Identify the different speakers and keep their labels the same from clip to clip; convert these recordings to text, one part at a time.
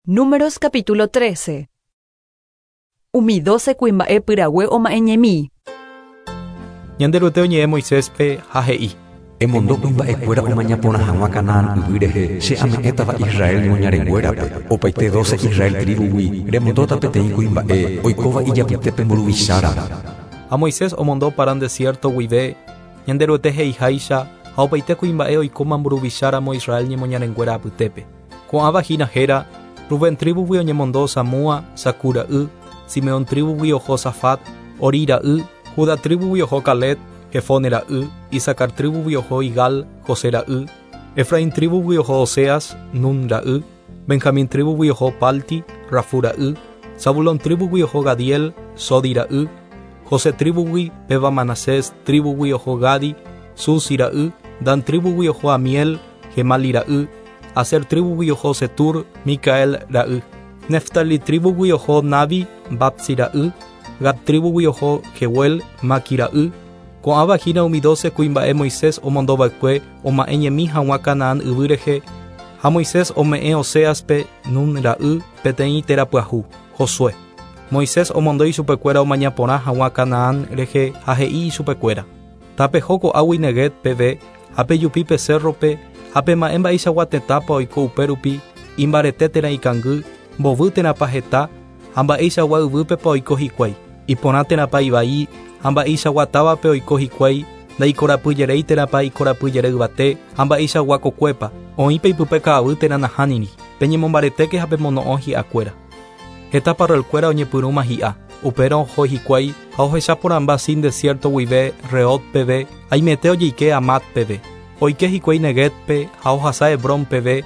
Speaker 1: Números capítulo 13. Umi dóse kuimba'e pyrague oma'ẽñemi.
Speaker 2: Ñanderuete oñe'ẽ Moiséspe ha he'i.
Speaker 3: Emondo kuimba'ekuéra omaña porã hag̃ua Canaán yvy rehe, che ame'ẽtava Israel ñemoñarenguérape. Opaite dóse Israel tríbugui remondóta peteĩ kuimba'e oikóva ijapytépe mburuvicháramo.
Speaker 2: Ha Moisés omondo Parán desiérto guive, Ñanderuete he'iháicha, ha opaite kuimba'e oikóma mburuvicháramo Israel ñemoñarenguéra apytépe. Ko'ãva hína héra, Rubén tríbugui oñemondo Samúa, Zacur ra'y, Simeón tríbugui oho Safat, Horí ra'y, Judá tríbugui oho Caleb, Jefone ra'y, Isacar tríbugui oho Igal, José ra'y, Efraín tríbugui oho Oseas, Nun ra'y, Benjamín tríbugui oho Palti, Rafú ra'y, Zabulón tríbugui oho Gadiel, Sodi ra'y, José tríbugui, péva Manasés tríbugui oho Gadi, Susi ra'y, Dan tríbugui oho Amiel, Gemali ra'y, Aser tríbugui oho Setur, Micael ra'y. Neftali tríbugui oho Nabi, Vapsi ra'y, Gad tríbugui oho Jeuel, Maqui ra'y. Ko'ãva hína umi dóse kuimba'e Moisés omondo va'ekue oma'ẽ ñemi hag̃ua Canaán yvy rehe, ha Moisés ome'ẽ Oséaspe, Nun ra'y, peteĩ téra pyahu, Josué. Moisés omondo ichupekuéra omaña porã hag̃ua Canaán rehe ha he'i ichupekuéra, Tapeho ko'águi Neguev peve ha pejupi pe cérrope ha pema'ẽ mba'eichagua tetãpa oiko upérupi, imbarete térã ikangy, mbovy térãpa heta, ha mba'eichagua yvýpepa oiko hikuái, iporã térãpa ivai, ha mba'eichagua távape oiko hikuái, ndaikorapyjeréi térãpa ikorapyjere yvate, ha mba'eichagua kokuépa, oĩpa ipype ka'avy térã nahániri. Peñemombaretéke ha pemono'õ hi'akuéra. Heta parralkuéra oñepyrũma hi'a. Upérõ oho hikuái ha ohecha porãmba Sin desiérto guive Rehob peve, haimete ojeike Hamat peve. Oike hikuái Neguébpe ha ohasa Hebrón peve,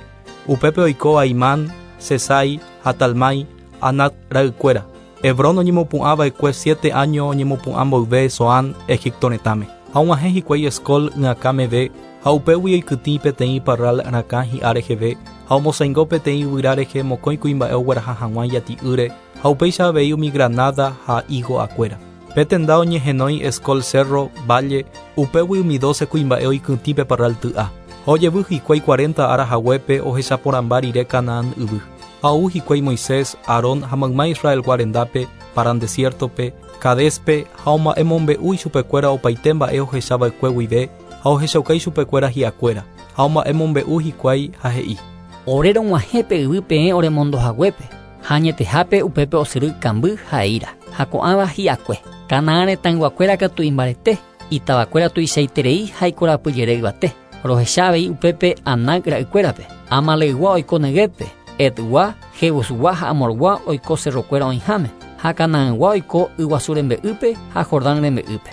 Speaker 2: upépe oiko Ahimán, Sesái ha Talmái, Anac ra'ykuéra. Hebrón oñemopu'ã va'ekue siete áño oñemopu'ã mboyve Zoán, Egipto retãme. Ha og̃uahẽ hikuái Escol y'akã meve, ha upégui oikytĩ peteĩ parral rakã hi'a reheve, ha omosaingo peteĩ yvyra rehe mokõi kuimba'e ogueraha hag̃ua ijati'ýre, ha upéicha avei umi granáda ha higo'akuéra. Pe tenda oñehenói Escol sérro, válle, upégui umi dóse kuimba'e oikytĩ pe parralty'a. Ha ojevy hikuái cuarenta ára haguépe ohecha porãmba rire Canaán yvy. Ha ou hikuái Moisés, Aarón ha mayma Israelgua rendápe, Parán desiértope, Cadéspe, ha omba'emombe'u ichupekuéra opaite mba'e ohecha va'ekue guive, ha ohechauka ichupekuéra hi'akuéra. Ha omba'emombe'u hikuái ha he'i.
Speaker 4: Ore rog̃uahẽ pe yvy peẽ oremondo haguépe, ha añetehápe upépe osyry kamby ha eíra, ha ko'ãva hi'akue. Canaán retãyguakuéra katu imbarete, itavakuéra tuichaiterei ha ikorapyjere yvate. Rohecha avei upépe Anac ra'ykuérape, Amaleygua oiko Neguébpe, Hetgua, Jebusgua ha Amorgua oiko cerrokuéra oĩháme, ha Canaangua oiko yguasu rembe'ýpe ha Jordán rembe'ýpe.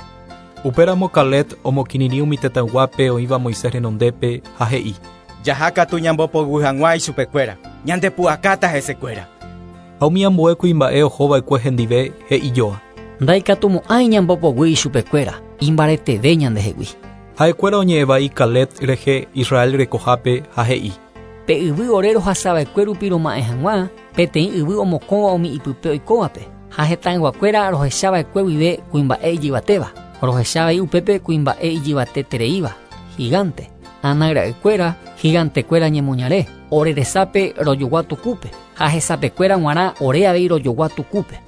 Speaker 2: Upéramo Caleb omokirirĩ umi tetãyguápe oĩva Moisés renondépe ha he'i.
Speaker 5: Jaha katu ñambopoguy hag̃ua ichupekuéra, ñandepu'akáta hesekuéra.
Speaker 2: Ha umi ambue kuimba'e oho va'ekue hendive he'i joa.
Speaker 4: Ndaikatumo'ãi ñambopoguy ichupekuéra, imbareteve ñandehegui.
Speaker 2: Ha'ekuéra oñe'ẽ vai Caleb rehe Israel rekohápe ha he'i.
Speaker 4: Pe yvy ore rohasava'ekue rupi roma'ẽ hag̃ua, peteĩ yvy omokõva umi ipype oikóvape, ha hetãyguakuéra rohechava'ekue guive kuimba'e ijyvatéva, rohecha avei upépe kuimba'e ijyvatetereíva, gigante, Anac ra'ykuéra, gigantekuéra ñemoñare, ore resápe rojogua tukúpe, ha hesapekuéra g̃uarã ore avei rojogua tukúpe.